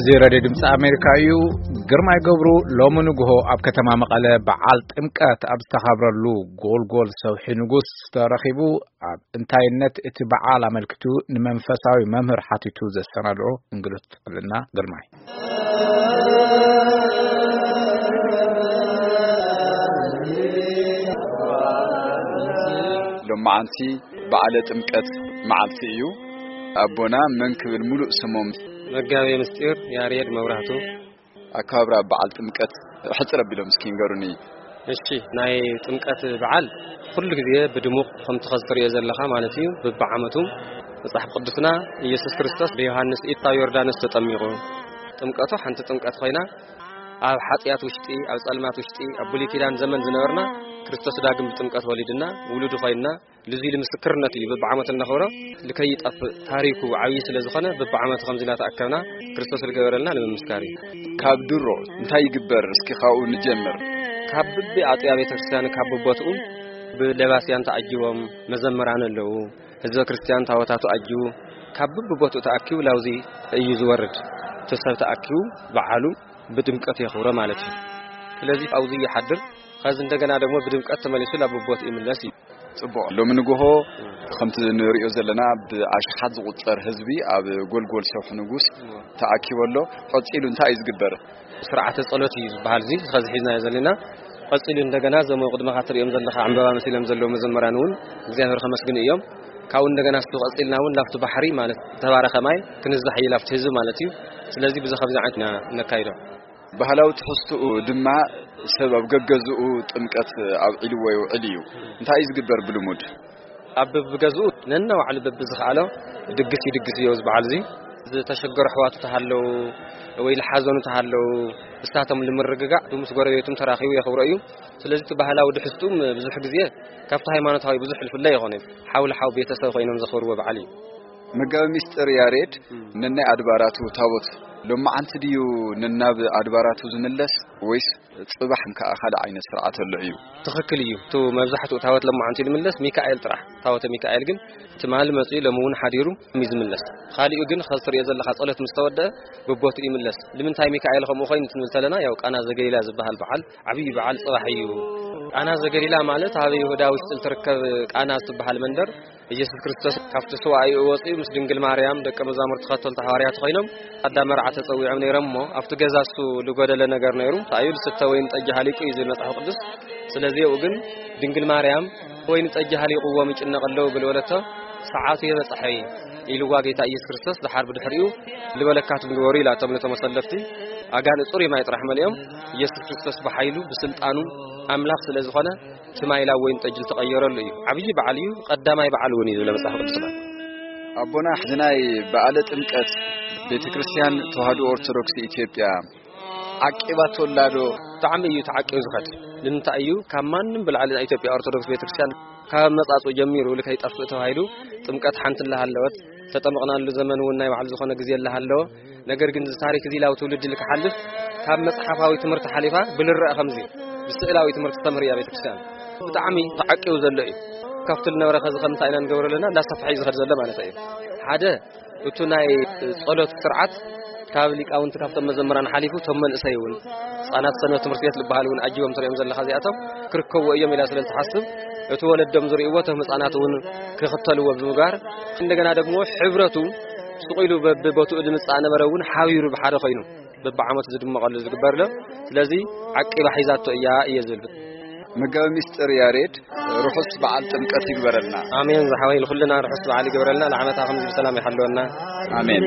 እዚ ሬድዮ ድምፂ ኣሜሪካ እዩ። ግርማይ ገብሩ ሎሚ ንግሆ ኣብ ከተማ መቐለ በዓል ጥምቀት ኣብ ዝተኻብረሉ ጎልጎል ሰውሒ ንጉስ ተረኺቡ ኣብ እንታይነት እቲ በዓል ኣመልኪቱ ንመንፈሳዊ መምህር ሓቲቱ ዘሰናድኦ እንግዶት ክልና ግርማይ። ሎማዓንቲ በዓለ ጥምቀት መዓልቲ እዩ። ኣቦና መን ክብል ሙሉእ ስሞም? መጋቤ ምስጢር ያሬድ መብራህቱ። ኣከባብራ በዓል ጥምቀት ሕጽር ኣቢሎም እስኪ ንገሩኒ። እሺ፣ ናይ ጥምቀት በዓል ኩሉ ግዜ ብድሙቕ ከምቲ ኸዚ ትርእዮ ዘለኻ ማለት እዩ። ብብዓመቱ መጽሓፍ ቅዱስና ኢየሱስ ክርስቶስ ብዮሃንስ ኢድ ኣብ ዮርዳኖስ ተጠሚቑ። ጥምቀቱ ሓንቲ ጥምቀት ኮይና ኣብ ሓጢኣት ውሽጢ፣ ኣብ ጸልማት ውሽጢ፣ ኣብ ብሉይ ኪዳን ዘመን ዝነበርና ክርስቶስ ዳግም ብጥምቀት ወሊድና ውሉዱ ኮይንና ልዚ ኢሉ ምስክርነት እዩ። በብዓመቱ እነኽብሮ ልከይጠፍእ ታሪኩ ዓብዪ ስለ ዝኾነ በብዓመቱ ከምዚ ኢላ ተኣከብና ክርስቶስ ዝገበረልና ንምምስካር እዩ። ካብ ድሮ እንታይ ይግበር? እስኪ ካብኡ ንጀምር። ካብ ብቢ ኣጥያ ቤተክርስትያን ካብ ብቦትኡ ብለባስያን ተዓጅቦም መዘምራን ኣለዉ። ህዝበ ክርስቲያን ታቦታቱ ኣጅቡ ካብ ብቢ ቦትኡ ተኣኪቡ ላውዚ እዩ ዝወርድ። እቲ ሰብ ተኣኪቡ በዓሉ ብድምቀት የኽብሮ ማለት እዩ። ስለዚ ኣብኡ ይሓድር። ከዚ እንደገና ደግሞ ብድምቀት ተመሊሱ ናብ ቦት ይምለስ እዩ። ጽቡቕ። ሎሚ ንግሆ ከምቲ ንሪኦ ዘለና ብኣሽሓት ዝቑጸር ህዝቢ ኣብ ጎልጎል ሰውሒ ንጉስ ተኣኪቡ ኣሎ። ቀጺሉ እንታይ እዩ ዝግበር? ስርዓተ ጸሎት እዩ ዝበሃል እዚ ከዚ ሒዝናዮ ዘለና። ቀጺሉ እንደገና እዞም ኣብ ቅድመኻ ትሪኦም ዘለኻ ዕምበባ መሲሎም ዘለዉ መዘምራን እውን እግዚኣብሔር ከመስግኑ እዮም። ካብኡ እንደገና እሱ ቀጺልና እውን ላብቲ ባሕሪ ማለት ዝተባረኸ ማይ ክንዛሕ እዩ ላብቲ ህዝቢ ማለት እዩ። ስለዚ ብዚ ከምዚ ዓይነት ኢና ነካይዶ። ባህላዊ ትሕዝትኡ ድማ ሰብ ኣብ ገገዝኡ ጥምቀት ኣብዒልዎ ይውዕል እዩ። እንታይ እዩ ዝግበር ብልሙድ? ኣብ በብገዝኡ ነናባዕሉ በብዝኸኣሎ ድግስ ይድግስ እዩ ኣብዚ በዓል እዚ። ዝተሸገሩ ኣሕዋቱ ተሃለዉ ወይ ዝሓዘኑ ተሃለዉ እሳቶም ንምርግጋዕ ምስ ጎረቤቱም ተራኺቡ የኽብሮ እዩ። ስለዚ እቲ ባህላዊ ድሕዝትኡም ብዙሕ ግዜ ካብቲ ሃይማኖታዊ ብዙሕ ዝፍለ ይኾነ እዩ። ሓው ለሓው ቤተሰብ ኮይኖም ዘኽብርዎ በዓል እዩ። መጋቢ ሚስጥር ያሬድ፣ ነናይ ኣድባራቱ ታቦት ሎማዓንቲ ድዩ ነናብ ኣድባራቱ ዝምለስ ወይስ ጽባሕ ከኣ ካልእ ዓይነት ስርዓት ኣሎ እዩ? ትኽክል እዩ። እቲ መብዛሕትኡ ታቦት ሎማዓንቲ ዝምለስ ሚካኤል ጥራሕ። ታቦተ ሚካኤል ግን ትማሊ መጺኡ ሎሚ እውን ሓዲሩ እዩ ዝምለስ። ካሊኡ ግን ከዚ ትሪኦ ዘለኻ ጸሎት ምስ ተወደአ ብቦትኡ ይምለስ። ንምንታይ ሚካኤል ከምኡ ኮይኑ ትንብል ተለና፣ ያው ቃና ዘገሊላ ዝበሃል በዓል ዓብዪ በዓል ጽባሕ እዩ። ቃና ዘገሊላ ማለት ኣብ ይሁዳ ውሽጢ እትርከብ ቃና እትበሃል መንደር ኢየሱስ ክርስቶስ ካብቲ ስዋኣዩ ወፂኡ ምስ ድንግል ማርያም ደቀ መዛሙርቲ ተኸተልቲ ሓዋርያት ኮይኖም ኣዳ መርዓ ተፀዊዖም ነይሮም እሞ ኣብቲ ገዛ እሱ ዝጎደለ ነገር ነይሩ። እንታይ እዩ? ዝስተ ወይን ጠጅ ሃሊቁ እዩ ዝብል መጽሓፍ ቅዱስ። ስለዚ ኣብኡ ግን ድንግል ማርያም ወይን ጠጅ ሃሊቁዎም ይጭነቕ ኣለዉ ብልበለቶ ሰዓቱ የበፅሐ እዩ ኢልዋ ጌታ ኢየሱስ ክርስቶስ። ደሓር ብድሕሪኡ ልበለካትም ግበሩ ኢላቶም ነቶም ኣሰለፍቲ። ኣጋንንት ጽሩይ ማይ ጥራሕ መሊኦም ኢየሱስ ክርስቶስ ብሓይሉ ብስልጣኑ ኣምላኽ ስለ ዝኾነ እቲ ማይ ላብ ወይን ጠጅ ዝተቐየረሉ እዩ። ዓብዪ በዓል እዩ። ቀዳማይ በዓል እውን እዩ ዝብለ መጽሓፍ ቅዱስና። ኣቦና፣ እዚ ናይ በዓለ ጥምቀት ቤተ ክርስቲያን ተዋህዶ ኦርቶዶክስ ኢትዮጵያ ዓቂባቶ ኣላ ዶ? ብጣዕሚ እዩ ተዓቂቡ ዝኸድ። ንምንታይ እዩ? ካብ ማንም ብላዕሊ ናይ ኢትዮጵያ ኦርቶዶክስ ቤተ ክርስቲያን ካብ ኣመጻጽኡ ጀሚሩ ልከይጠፍእ ተባሂሉ ጥምቀት ሓንቲ ኣላ ሃለወት። ዝተጠመቕናሉ ዘመን እውን ናይ ባዕሉ ዝኾነ ግዜ ኣላ ሃለወ። ነገር ግን እዚ ታሪክ እዚ ላብ ትውልዲ ልክሓልፍ ካብ መጽሓፋዊ ትምህርቲ ሓሊፋ ብልረአ ከምዚ ብስእላዊ ትምህርቲ ተምህር እያ ቤተክርስትያን። ብጣዕሚ ተዓቂቡ ዘሎ እዩ። ካብቲ ዝነበረ ከዚ ከምታይ ኢና ንገብሮ ኣለና እንዳሰፍሐ እዩ ዝኸድ ዘሎ ማለት እዩ። ሓደ እቱ ናይ ጸሎት ስርዓት ካብ ሊቃውንቲ ካብቶም መዘምራን ሓሊፉ እቶም መንእሰይ እውን ህጻናት ሰንበት ትምህርቲ ቤት ዝበሃል እውን ኣጅቦም ትሪኦም ዘለኻ እዚኣቶም ክርከብዎ እዮም ኢላ ስለ ዝተሓስብ እቲ ወለዶም ዝርእይዎ እቶም ህጻናት እውን ክኽተልዎ ብምግባር እንደገና ደግሞ ሕብረቱ ስቕ ኢሉ በብቦትኡ ዝምጻእ ነበረ እውን ሓቢሩ ብሓደ ኮይኑ በብዓመቱ ዝድመቐሉ ዝግበር ኣሎ። ስለዚ ዓቂባ ሒዛቶ እያ እየ ዝብል። መጋቢ ሚስጥር ያሬድ ርሑስ በዓል ጥምቀት ይግበረልና። ኣሜን ዝሓወይ ንኹልና ርሑስ በዓል ይግበረልና። ንዓመታ ከምዚ ብሰላም ይሓልወና። ኣሜን።